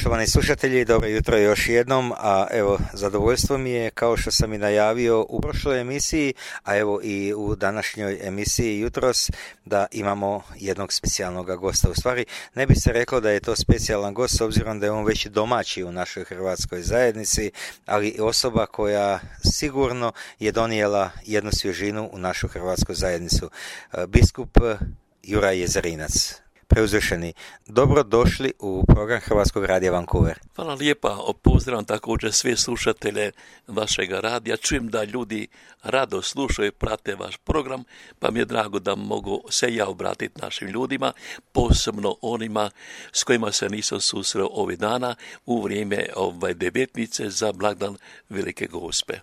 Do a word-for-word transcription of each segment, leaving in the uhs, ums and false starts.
Poštovani slušatelji, dobro jutro još jednom, a evo zadovoljstvo mi je, kao što sam i najavio u prošloj emisiji, a evo i u današnjoj emisiji jutros, da imamo jednog specijalnog gosta. U stvari ne bi se reklo da je to specijalan gost, s obzirom da je on već domaći u našoj hrvatskoj zajednici, ali osoba koja sigurno je donijela jednu svježinu u našu hrvatsku zajednicu. Biskup Juraj Jezerinac. Preuzvišeni, dobro došli u program Hrvatskog radija Vancouver. Hvala lijepa, pozdravljam također sve slušatelje vašeg radija. Čujem da ljudi rado slušaju i prate vaš program, pa mi je drago da mogu se ja obratiti našim ljudima, posebno onima s kojima se nisam susreo ovih dana u vrijeme ovaj devetnice za blagdan Velike Gospe.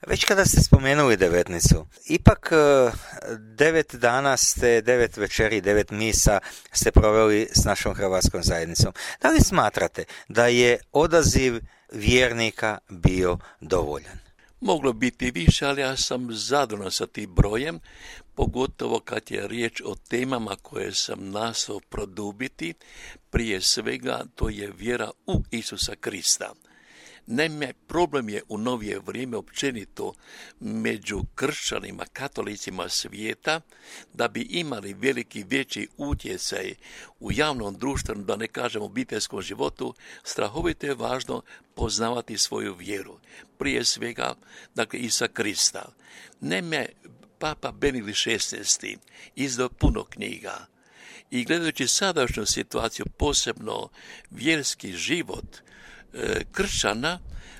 Već kada ste spomenuli devetnicu, ipak devet dana ste, devet večeri, devet misa ste proveli s našom hrvatskom zajednicom. Da li smatrate da je odaziv vjernika bio dovoljan? Moglo biti više, ali ja sam zadovoljan sa tim brojem, pogotovo kad je riječ o temama koje sam nastao produbiti. Prije svega to je vjera u Isusa Krista. Naime, problem je u novije vrijeme općenito među kršćanima, katolicima svijeta, da bi imali veliki veći utjecaj u javnom društvenom, da ne kažem obiteljskom životu, strahovito je važno poznavati svoju vjeru. Prije svega, dakle, Isusa Krista. Naime, Papa Benedikt šesnaesti izdao puno knjiga i gledajući sadašnju situaciju, posebno vjerski život kršćana,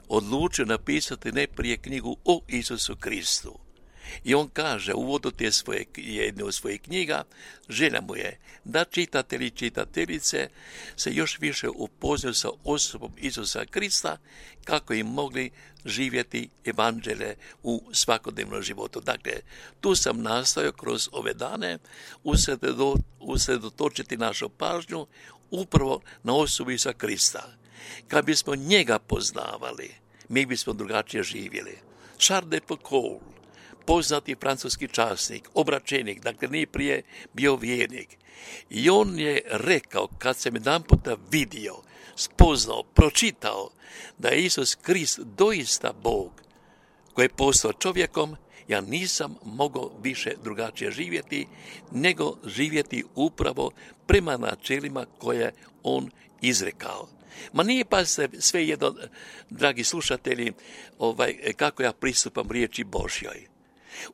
odlučio napisati najprije knjigu o Isusu Kristu. I on kaže u uvodu te svoje, jedne od svojih knjiga, želja mu je da čitatelji i čitateljice se još više upoznaju sa osobom Isusa Krista, kako im mogli živjeti evanđelje u svakodnevnom životu. Dakle, tu sam nastojao kroz ove dane usredotočiti našu pažnju upravo na osobu Isusa Krista. Kad bismo njega poznavali, mi bismo drugačije živjeli. Charles de Foucault, poznati francuski časnik, obračenik, dakle nije prije bio vjernik. I on je rekao, kad sam jedan puta vidio, spoznao, pročitao da je Isus Krist doista Bog koji je postao čovjekom, ja nisam mogao više drugačije živjeti, nego živjeti upravo prema načelima koje on izrekao. Ma nije pa se sve jedno, dragi slušatelji, ovaj, kako ja pristupam riječi Božjoj.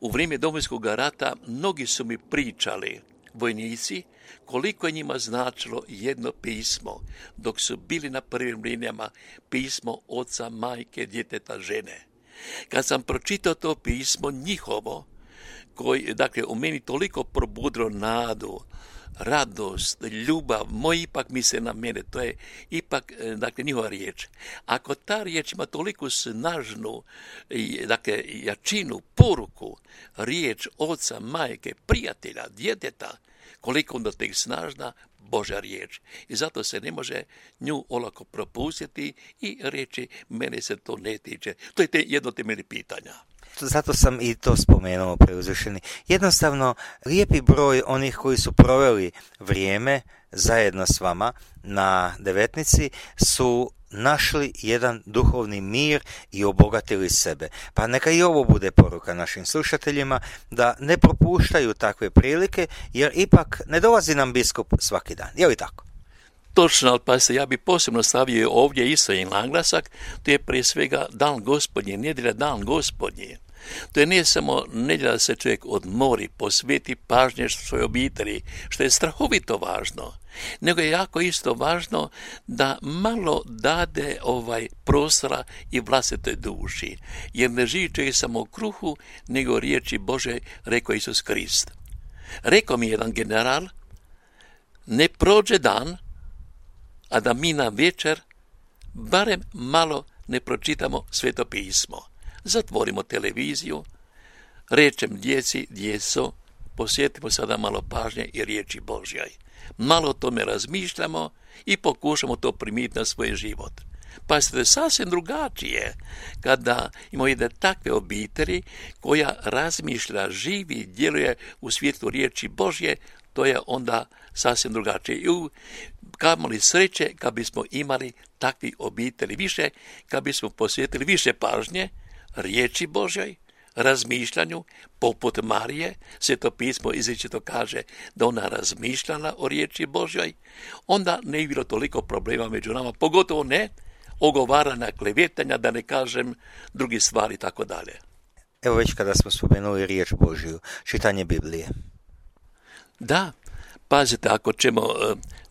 U vrijeme Domovinskog rata mnogi su mi pričali, vojnici, koliko je njima značilo jedno pismo, dok su bili na prvim linijama, pismo oca, majke, djeteta, žene. Kad sam pročitao to pismo njihovo, koji, dakle, u meni toliko probudilo nadu, radost, ljubav, moj ipak misle na mene, to je ipak, dakle, njihova riječ. Ako ta riječ ima toliko snažnu, dakle, jačinu, poruku, riječ oca, majke, prijatelja, djeteta, koliko onda tek snažna Božja riječ. I zato se ne može nju olako propustiti i reći, mene se to ne tiče. To je te jedno temeljnih pitanja. Zato sam i to spomenuo, preuzvišeni. Jednostavno, lijepi broj onih koji su proveli vrijeme zajedno s vama na devetnici su našli jedan duhovni mir i obogatili sebe. Pa neka i ovo bude poruka našim slušateljima, da ne propuštaju takve prilike, jer ipak ne dolazi nam biskup svaki dan. Je li tako? Točno, ali pa se ja bi posebno stavio ovdje isto i naglasak, to je prije svega dan Gospodnji, nedjelja dan Gospodnji. To je nije samo nedjelja da se čovjek odmori, posveti pažnje svojoj obitelji, što je strahovito važno, nego je jako isto važno da malo dade ovaj prostora i vlastitoj duši, jer ne živi čovjek samo u kruhu, nego riječi Bože, rekao Isus Krist. Rekao mi jedan general, ne prođe dan, a da mi na večer barem malo ne pročitamo Sveto pismo. Zatvorimo televiziju, rečem djeci, djeco, posjetimo sada malo pažnje i riječi Božjoj. Malo o tome razmišljamo i pokušamo to primijeniti na svoj život. Pa ste sasvim drugačije kada imamo jedne takve obitelji koja razmišlja, živi, djeluje u svijetu riječi Božje, to je onda sasvim drugačije. I u kamoli sreće kad bismo imali takvi obitelji više, kad bismo posvetili više pažnje riječi Božjoj, razmišljanju, poput Marije, Sveto pismo izričito kaže da ona razmišljala o riječi Božjoj, onda ne bi bilo toliko problema među nama, pogotovo ne ogovaranja, klevetanja, da ne kažem drugi stvari i tako dalje. Evo već kada smo spomenuli riječ Božju, čitanje Biblije. Da, pazite, ako ćemo,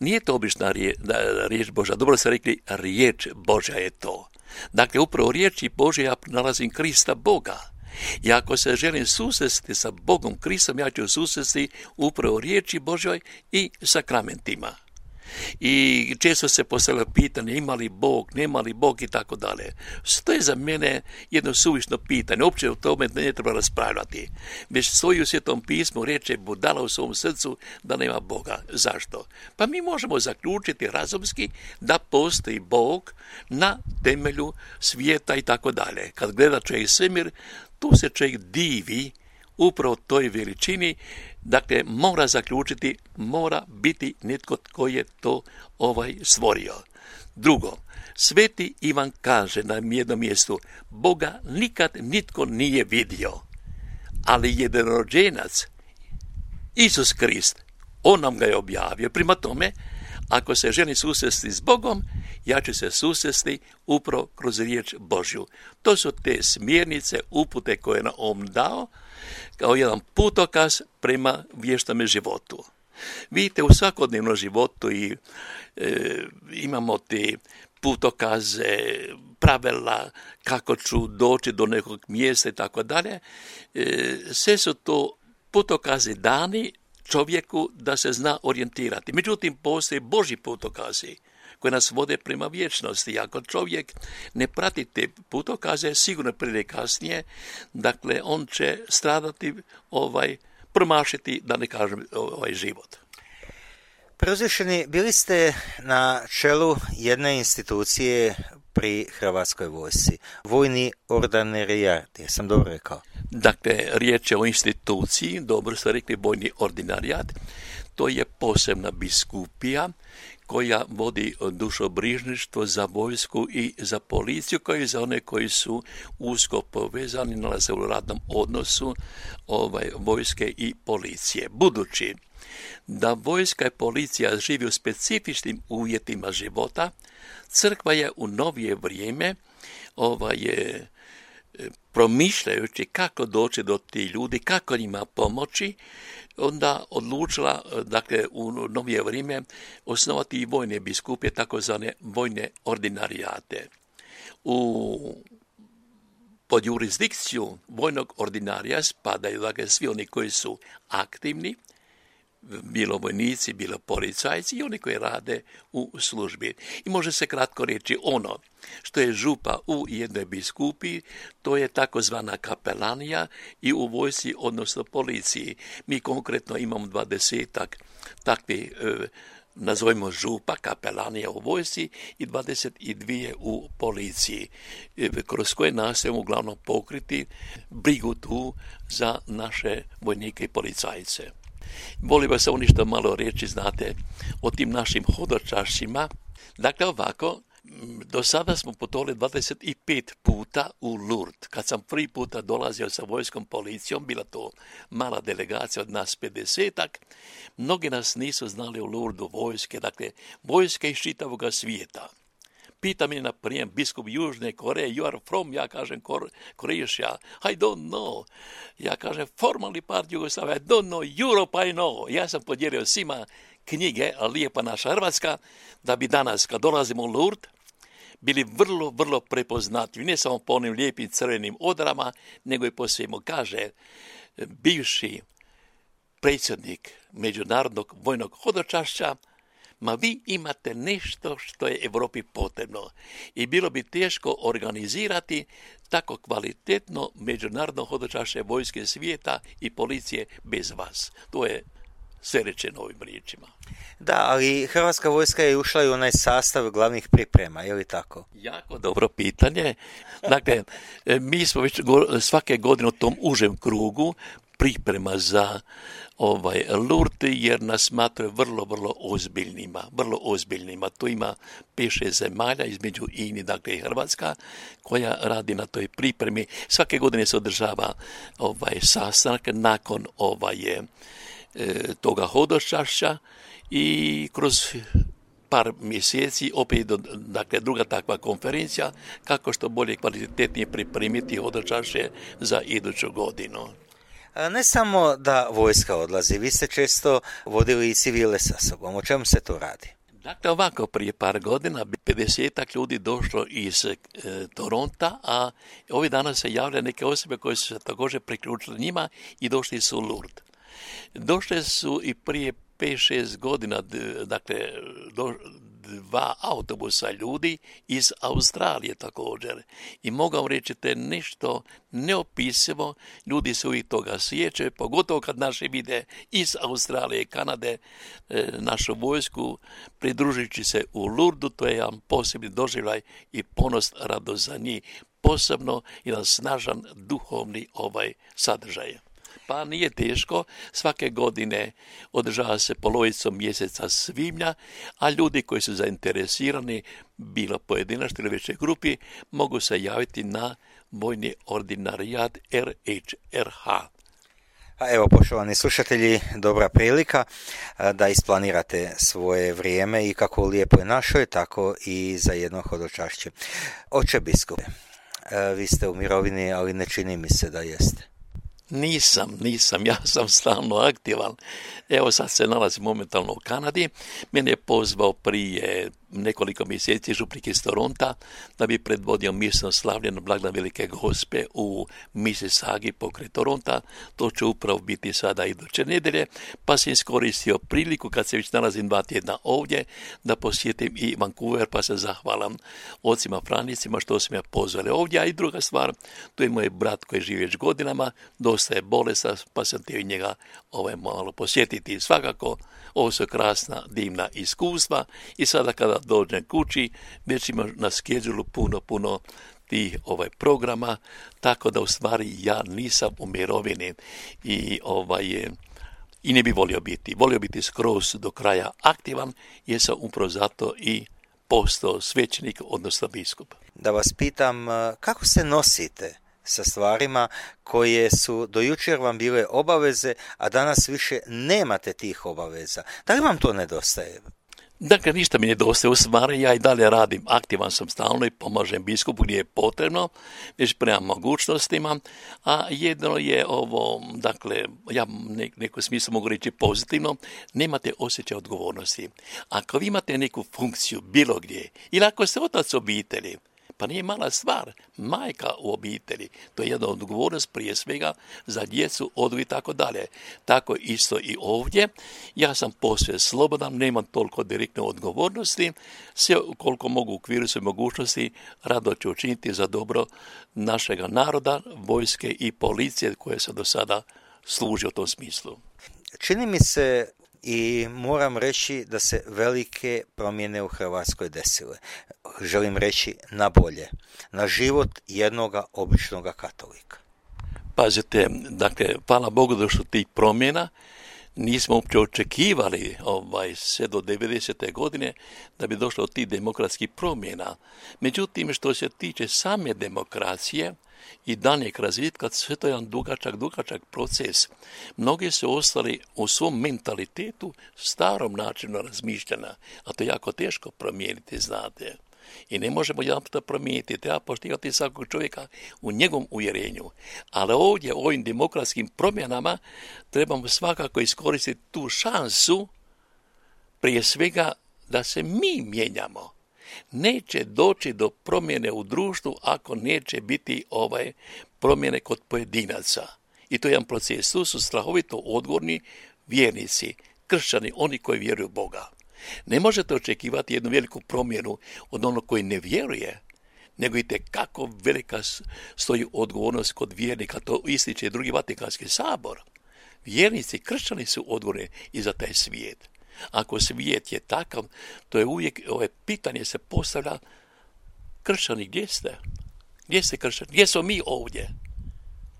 nije to obična riječ, riječ Božja, dobro ste rekli, riječ Božja je to. Dakle, upravo u riječi Božje ja nalazim Krista Boga. I ako se želim susresti sa Bogom Kristom, ja ću susresti upravo u riječi Božjoj i sakramentima. I često se postavlja pitanje ima li Bog, nema li Bog i tako dalje. To je za mene jedno suvišno pitanje, uopće o tome ne treba raspravljati. Već stoji u Svetom pismu, reče budala u svom srcu da nema Boga. Zašto? Pa mi možemo zaključiti razumski da postoji Bog na temelju svijeta i tako dalje. Kad gleda čovjek svemir, tu se čovjek divi upravo toj veličini, dakle mora zaključiti, mora biti netko tko je to ovaj stvorio. Drugo, Sveti Ivan kaže na jednom mjestu, Boga nikad nitko nije vidio, ali jednorođenac, Isus Krist, on nam ga je objavio. Prema tome, ako se želim susresti s Bogom, ja ću se susresti upravo kroz riječ Božju. To su te smjernice, upute koje je nam on dao, kao jedan putokaz prema vještome životu. Vidite, u svakodnevnom životu i, e, imamo te putokaze, pravila, kako ću doći do nekog mjesta i tako dalje. Sve su to putokazi dani čovjeku da se zna orijentirati. Međutim, postoje Božji putokazi koji nas vode prema vječnosti. Ako čovjek ne prati te putokaze, sigurno prije kasnije, dakle, on će stradati, ovaj, promašiti, da ne kažem, ovaj život. Preuzvišeni, bili ste na čelu jedne institucije pri Hrvatskoj vojsci, vojni ordinarijat, jesam dobro rekao? Dakle, riječ je o instituciji, dobro ste rekli, vojni ordinarijat, to je posebna biskupija koja vodi dušobrižništvo za vojsku i za policiju, kao i za one koji su usko povezani, nalaze u radnom odnosu ovaj, vojske i policije. Budući da vojska i policija živi u specifičnim uvjetima života, crkva je u novije vrijeme ovaj, je, promišljajući kako doći do tih ljudi, kako njima pomoći, onda odlučila, dakle, u novije vrijeme osnovati i vojne biskupije, takozvane vojne ordinarijate. U pod jurisdikciju vojnog ordinarija spadaju, dakle, svi oni koji su aktivni, bilo vojnici, bilo policajci i oni koji rade u službi. I može se kratko reći ono što je župa u jednoj biskupiji, to je takozvana kapelanija i u vojsci, odnosno policiji. Mi konkretno imamo dvadesetak takvih, e, nazovimo župa, kapelanija u vojsci i dvadeset dvije u policiji, e, kroz koje nastojimo uglavnom pokriti brigu tu za naše vojnike i policajce. Volim vas samo ništa malo reći, znate, o tim našim hodočašćima. Dakle, ovako, do sada smo putovali dvadeset pet puta u Lourdes. Kad sam prvi puta dolazio sa vojskom policijom, bila to mala delegacija od nas pedesetak, mnogi nas nisu znali u Lourdesu vojske, dakle, vojske iz čitavog svijeta. Pita me na prijem biskup Južne Koreje, you are from, ja kažem Croatia, I don't know. Ja kažem formalni part Jugoslavia, I don't know, Europe I know. Ja sam podijelio svima knjige, Lijepa naša Hrvatska, da bi danas, kad dolazimo u Lourdes, bili vrlo, vrlo prepoznatljivi, ne samo po onim lijepim crvenim odrama, nego i po svemu. Kaže, bivši predsjednik Međunarodnog vojnog hodočašća, ma vi imate nešto što je Europi potrebno i bilo bi teško organizirati tako kvalitetno međunarodno hodočašće vojske svijeta i policije bez vas. To je sve rečeno ovim riječima. Da, ali Hrvatska vojska je ušla i u onaj sastav glavnih priprema, je li tako? Jako dobro pitanje. Dakle, mi smo već svake godine u tom užem krugu priprema za ovaj Lourdes, jer nas smatraju vrlo, vrlo ozbiljnima, vrlo ozbiljnima. Tu ima pet šest zemalja, između ini, dakle i Hrvatska, koja radi na toj pripremi. Svake godine se održava ovaj sastanak nakon ovaj, e, toga hodočašća i kroz par mjeseci opet, dakle, druga takva konferencija, kako što bolje kvalitetnije pripremiti hodočašće za iduću godinu. Ne samo da vojska odlazi, vi ste često vodili i civile sa sobom. O čemu se to radi? Dakle, ovako, prije par godina pedesetak ljudi došlo iz e, Toronta, a ovih dana se javljaju neke osobe koje su se također priključile njima i došli su u Lourdes. Došle su i prije pet šest godina, dakle, do, dva autobusa ljudi iz Australije također. I mogu reći te nešto neopisivo, ljudi se uvijek toga sjećaju, pogotovo kad naši vide iz Australije i Kanade e, našu vojsku pridružujući se u Lourdesu, to je jedan posebni doživljaj i ponos, radost za njih, posebno jedan snažan duhovni ovaj sadržaj. Pa nije teško, svake godine održava se polovicom mjeseca svibnja, a ljudi koji su zainteresirani, bilo pojedinačno ili većoj grupi, mogu se javiti na vojni ordinarijat R H R H. A evo, poštovani slušatelji, dobra prilika da isplanirate svoje vrijeme i kako u Lijepoj našoj, tako i za jedno hodočašće. Oče biskupe, vi ste u mirovini, ali ne čini mi se da jeste. Nisam, nisam, ja sam stalno aktivan. Evo sad se nalazim momentalno u Kanadi. Mene je pozvao prije nekoliko mjeseci župnik iz Toronta da bi predvodio mjesno slavlje na blagdan Velike Gospe u Mississaugi pokraj Toronta. To će upravo biti sada iduće nedelje, pa sam iskoristio priliku kad se već nalazim dva tjedna ovdje da posjetim i Vancouver, pa se zahvalam ocima Franicima što su me pozvali ovdje. A i druga stvar, tu je moj brat koji živi već godinama, dosta je bolestan, pa sam htio njega ovaj malo posjetiti. Svakako, ovo su krasna, divna iskustva i sada kada dođem kući, već ima na skedžulu puno, puno tih ovaj, programa, tako da u stvari ja nisam u mirovini i, ovaj, i ne bi volio biti. Volio biti skroz do kraja aktivan, jer sam upravo zato i postao svećenik, odnosno biskup. Da vas pitam, kako se nosite sa stvarima koje su do jučer vam bile obaveze, a danas više nemate tih obaveza? Da li vam to nedostaje? Dakle, ništa mi nedostaje, u stvari ja i dalje radim, aktivan sam stalno i pomažem biskupu gdje je potrebno, već prema mogućnostima, a jedno je ovo, dakle, ja ne, neko smislu mogu reći pozitivno, nemate osjećaj odgovornosti. Ako vi imate neku funkciju bilo gdje, ili ako ste otac obitelji, pa nije mala stvar, majka u obitelji, to je jedna odgovornost prije svega za djecu, odgoj i tako dalje. Tako isto i ovdje, ja sam posve slobodan, nemam toliko direktne odgovornosti, sve koliko mogu u okviru svoje mogućnosti, rado ću učiniti za dobro našega naroda, vojske i policije koje se do sada služi u tom smislu. Čini mi se i moram reći da se velike promjene u Hrvatskoj desile. Želim reći na bolje, na život jednoga običnoga katolika. Pazite, dakle, hvala Bogu da što tih promjena nismo uopće očekivali ovaj, sve do devedesete godine da bi došlo do tih demokratskih promjena. Međutim, što se tiče same demokracije i daljnjeg razvitka, sve to je jedan dugačak, dugačak proces. Mnogi su ostali u svom mentalitetu starom načinu razmišljanja, a to je jako teško promijeniti, znate. I ne možemo jedan puta promijeniti, treba poštivati svakog čovjeka u njegovom uvjerenju. Ali ovdje, u ovim demokratskim promjenama, trebamo svakako iskoristiti tu šansu, prije svega, da se mi mijenjamo. Neće doći do promjene u društvu ako neće biti ovaj promjene kod pojedinaca. I to je jedan proces. Tu su strahovito odgovorni vjernici, kršćani, oni koji vjeruju u Boga. Ne možete očekivati jednu veliku promjenu od onog koji ne vjeruje, nego i kako velika stoji odgovornost kod vjernika, to ističe i drugi Vatikanski sabor. Vjernici, kršćani su odgovorni i za taj svijet. Ako svijet je takav, to je uvijek, ove pitanje se postavlja, kršćani, gdje ste? Gdje ste kršćani? Gdje smo mi ovdje?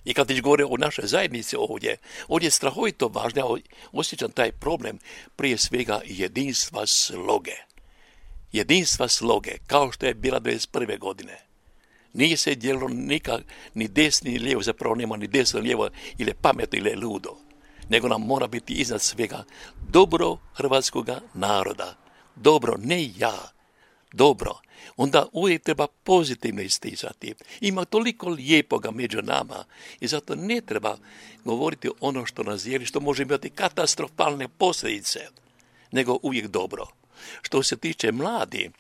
I kad već govore o našoj zajednici ovdje, ovdje je strahovito važno, ja osjećam taj problem, prije svega jedinstva sloge. Jedinstva sloge, kao što je bila devedeset prve godine. Nije se dijelilo nikak, ni desni ni lijevo, zapravo nema ni desno ni lijevo, ili je pametno ili je ludo. Nego nam mora biti iznad svega dobro hrvatskoga naroda. Dobro, ne ja, dobro. Onda uvijek treba pozitivno isticati. Ima toliko lijepoga među nama i zato ne treba govoriti ono što nas dijeli, što može imati katastrofalne posljedice, nego uvijek dobro. Što se tiče mladi,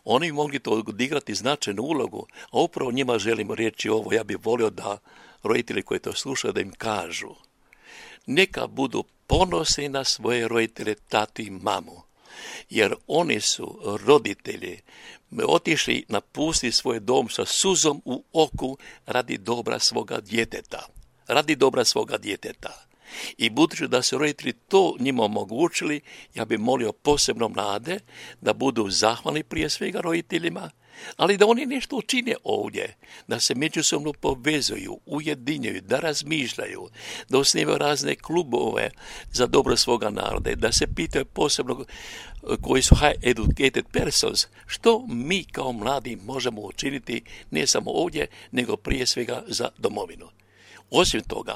oni mogli to odigrati značajnu ulogu, a upravo njima želimo reći ovo. Ja bih volio da roditelji koji to slušaju da im kažu. Neka budu ponosni na svoje roditelje, tatu i mamu, jer oni su roditelji otišli napustiti svoj dom sa suzom u oku radi dobra svoga djeteta. Radi dobra svoga djeteta. I budući da su roditelji to njima omogućili, ja bih molio posebno mlade da budu zahvalni prije svega roditeljima, ali da oni nešto učine ovdje, da se međusobno povezuju, ujedinjuju, da razmišljaju, da osnivaju razne klubove za dobro svoga naroda, da se pitaju posebno koji su high educated persons, što mi kao mladi možemo učiniti ne samo ovdje, nego prije svega za domovinu. Osim toga,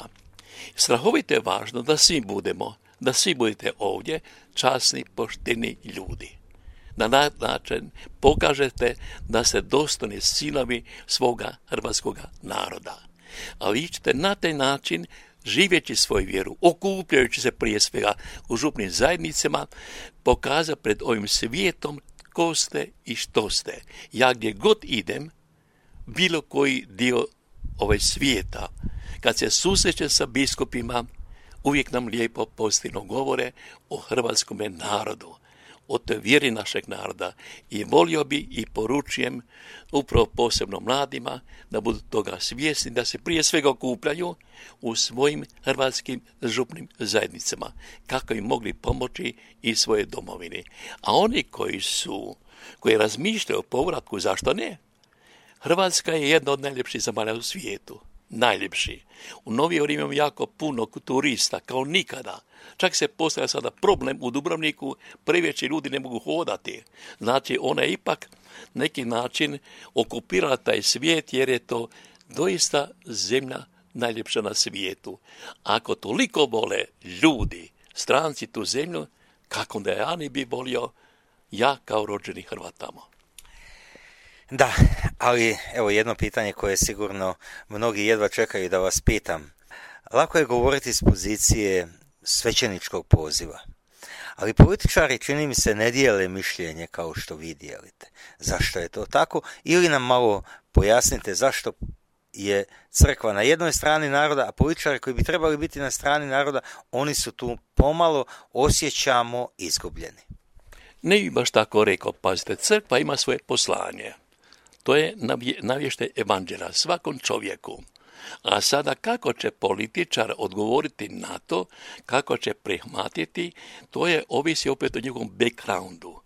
strahovito je važno da svi budemo, da svi budete ovdje časni, pošteni ljudi. Na način pokažete da ste dostojni sinovi svoga hrvatskoga naroda. A vi ćete na taj način, živeći svoju vjeru, okupljajući se prije svega u župnim zajednicama, pokazati pred ovim svijetom tko ste i što ste. Ja gdje god idem, bilo koji dio ovaj svijeta, kad se susrećem sa biskupima, uvijek nam lijepo pozitivno govore o hrvatskome narodu, o toj vjeri našeg naroda, i volio bi i poručujem upravo posebno mladima da budu toga svjesni, da se prije svega okupljaju u svojim hrvatskim župnim zajednicama, kako im mogli pomoći i svoje domovini. A oni koji su, koji razmišljaju o povratku, zašto ne? Hrvatska je jedna od najljepših zemalja u svijetu. Najljepši. U novije vrijeme imamo jako puno turista, kao nikada. Čak se postavlja sada problem u Dubrovniku, previše ljudi ne mogu hodati. Znači, ona je ipak neki način okupirala taj svijet, jer je to doista zemlja najljepša na svijetu. Ako toliko vole ljudi, stranci tu zemlju, kako da ja ne bi volio ja kao rođeni Hrvat tamo. Da, ali evo jedno pitanje koje sigurno mnogi jedva čekaju da vas pitam. Lako je govoriti iz pozicije svećeničkog poziva, ali političari, čini mi se, ne dijele mišljenje kao što vi dijelite. Zašto je to tako? Ili nam malo pojasnite zašto je crkva na jednoj strani naroda, a političari koji bi trebali biti na strani naroda, oni su tu pomalo, osjećamo, izgubljeni. Ne bi baš tako rekao, pazite, crkva ima svoje poslanje. To je navještaj evanđelja svakom čovjeku. A sada kako će političar odgovoriti na to, kako će prihvatiti, to je ovisi opet o njegovom backgroundu.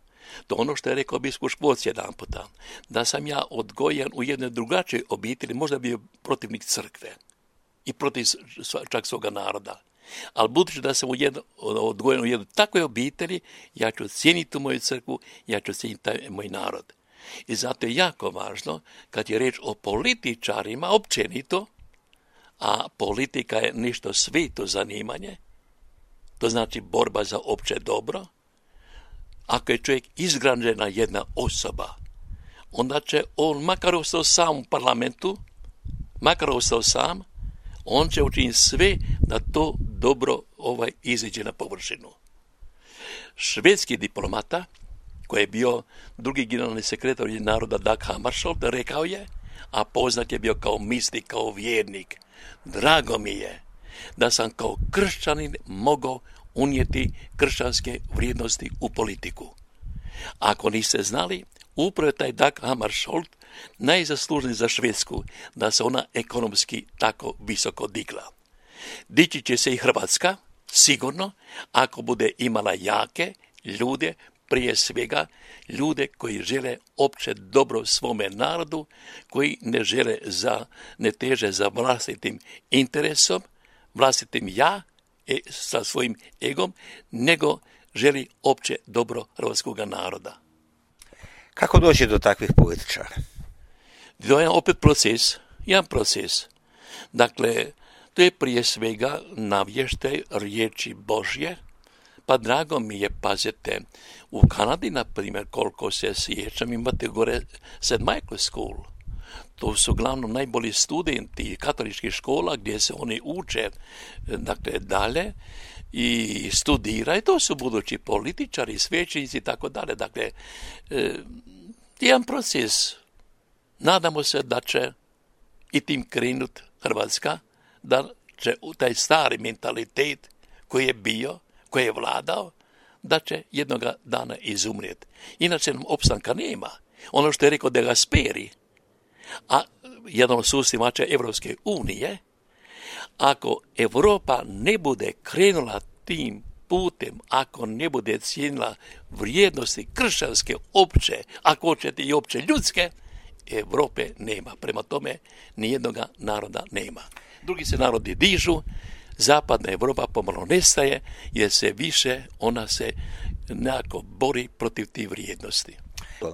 To ono što je rekao biskup Škvorc jedan puta, da sam ja odgojen u jednoj drugačijoj obitelji, možda bio protivnik crkve i protiv čak svoga naroda. Ali budući da sam jedno, odgojen u jednoj takvoj obitelji, ja ću cijeniti moju crkvu, ja ću cijeniti taj moj narod. I zato je jako važno, kad je reč o političarima općenito, a politika je nešto sveto zanimanje, to znači borba za opće dobro. Ako je čovjek izgrađena jedna osoba, onda će on, makar ostao sam u parlamentu, makar ostao sam, on će učiniti sve da to dobro ovaj iziđe na površinu. Švedski diplomata, koji je bio drugi generalni sekretar naroda Dag Hammarskjöld, rekao je, a poznat je bio kao mistik, kao vjernik, drago mi je da sam kao kršćanin mogao unijeti kršćanske vrijednosti u politiku. Ako niste znali, upravo je taj Dag Hammarskjöld najzaslužniji za Švedsku da se ona ekonomski tako visoko digla. Dići će se i Hrvatska, sigurno, ako bude imala jake ljude, prije svega ljude koji žele opće dobro svome narodu, koji ne žele za, ne teže za vlastitim interesom, vlastitim ja, e, sa svojim egom, nego želi opće dobro hrvatskog naroda. Kako doći do takvih političara? To je opet proces, jedan proces. Dakle, to je prije svega navještaj riječi Božje, pa drago mi je, pazite, u Kanadi, na primjer, koliko se sjećam, imate gore Saint Michael School. To su uglavnom najbolji studenti katoličkih škola gdje se oni uče, dakle, dalje i studiraju. To su budući političari, svećenici i tako dalje. Dakle, e, jedan proces. Nadamo se da će i tim krenut Hrvatska, da će u taj stari mentalitet koji je bio, koji je vladao, da će jednoga dana izumrijeti. Inače nam opstanka nema. Ono što je rekao De Gasperi, a jedan od susnimača Evropske unije, ako Europa ne bude krenula tim putem, ako ne bude cijenila vrijednosti kršćanske opće, ako hoćete i opće ljudske, Europe nema. Prema tome, nijednoga naroda nema. Drugi se narodi dižu, zapadna Europa pomalo nestaje, jer se više ona se nekako bori protiv tih vrijednosti.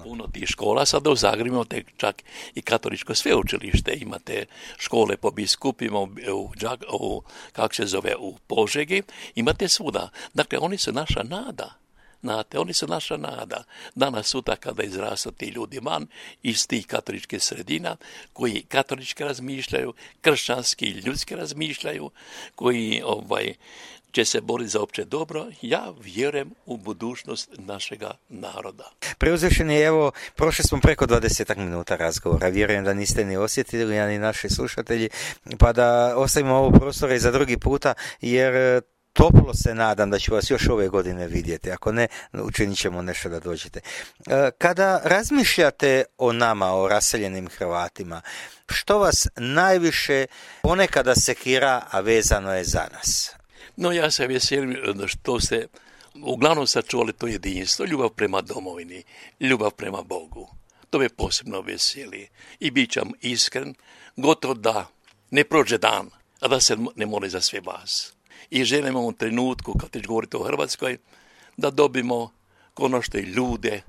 Puno tih škola, sada u Zagrebu imate čak i katoličko sveučilište, imate škole po biskupima u, u, u, kako se zove, u Požegi, imate svuda. Dakle, oni su naša nada. Znate, oni su naša nada. Danas sutra kada izrastu ti ljudi van iz tih katoličkih sredina, koji katolički razmišljaju, kršćanski i ljudski razmišljaju, koji ovaj, će se boriti za opće dobro, ja vjerujem u budućnost našega naroda. Preuzvišeni, evo, prošli smo preko dvadeset minuta razgovora. Vjerujem da niste ni osjetili, a ni naši slušatelji, pa da ostavimo ovo prostora i za drugi puta, jer toplo se nadam da ću vas još ove godine vidjeti. Ako ne, učinit ćemo nešto da dođete. Kada razmišljate o nama, o raseljenim Hrvatima, što vas najviše ponekada sekira, a vezano je za nas? No, ja se veselim što ste uglavnom sačuvali to jedinstvo, ljubav prema domovini, ljubav prema Bogu. To me posebno veseli. I bit ćam iskren, gotovo da ne prođe dan, a da se ne moli za sve vas. I želimo u ovom trenutku, kad već govorite o Hrvatskoj, da dobimo konačno i ljude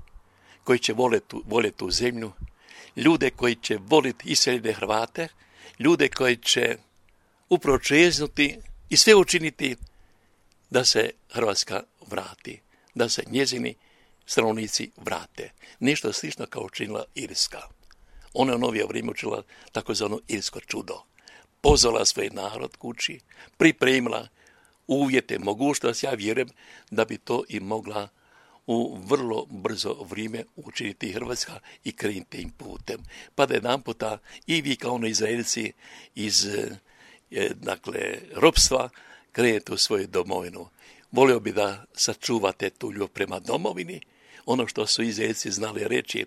koji će voljeti, voljeti tu zemlju, ljude koji će voljeti iseljene Hrvate, ljude koji će upravo čeznuti i sve učiniti da se Hrvatska vrati, da se njezini stanovnici vrate. Nešto slično kao učinila Irska. Ona je u novije vrijeme učinila takozvano irsko čudo. Pozvala svoj narod kući, pripremila uvjete, mogućnost, ja vjerujem da bi to i mogla u vrlo brzo vrijeme učiniti Hrvatska i krenuti tim putem. Pa da jedan puta i vi kao ono Izraelci iz dakle, ropstva krenete u svoju domovinu. Volio bi da sačuvate tu ljubav prema domovini, ono što su Izraelci znali reći,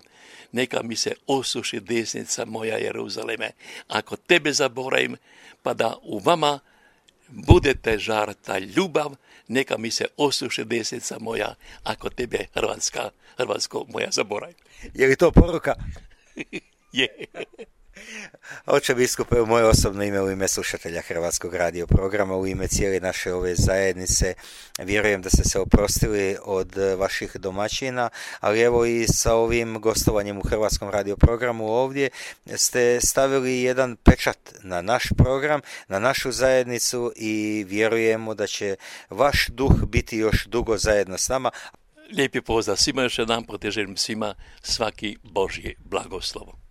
neka mi se osuši desnica moja Jeruzaleme, ako tebe zaboravim, pa da u vama budete žar ta ljubav, neka mi se osuši desnica moja, ako tebe Hrvatska, Hrvatsko moja zaboravim. Je li to poruka? Je. Oče biskupe, u moje osobno ime, u ime slušatelja Hrvatskog radio programa, u ime cijele naše ove zajednice, vjerujem da ste se oprostili od vaših domaćina, ali evo i sa ovim gostovanjem u Hrvatskom radio programu ovdje ste stavili jedan pečat na naš program, na našu zajednicu i vjerujemo da će vaš duh biti još dugo zajedno s nama. Lijepi pozdrav svima, još jedan put želim svima svaki Božji blagoslov.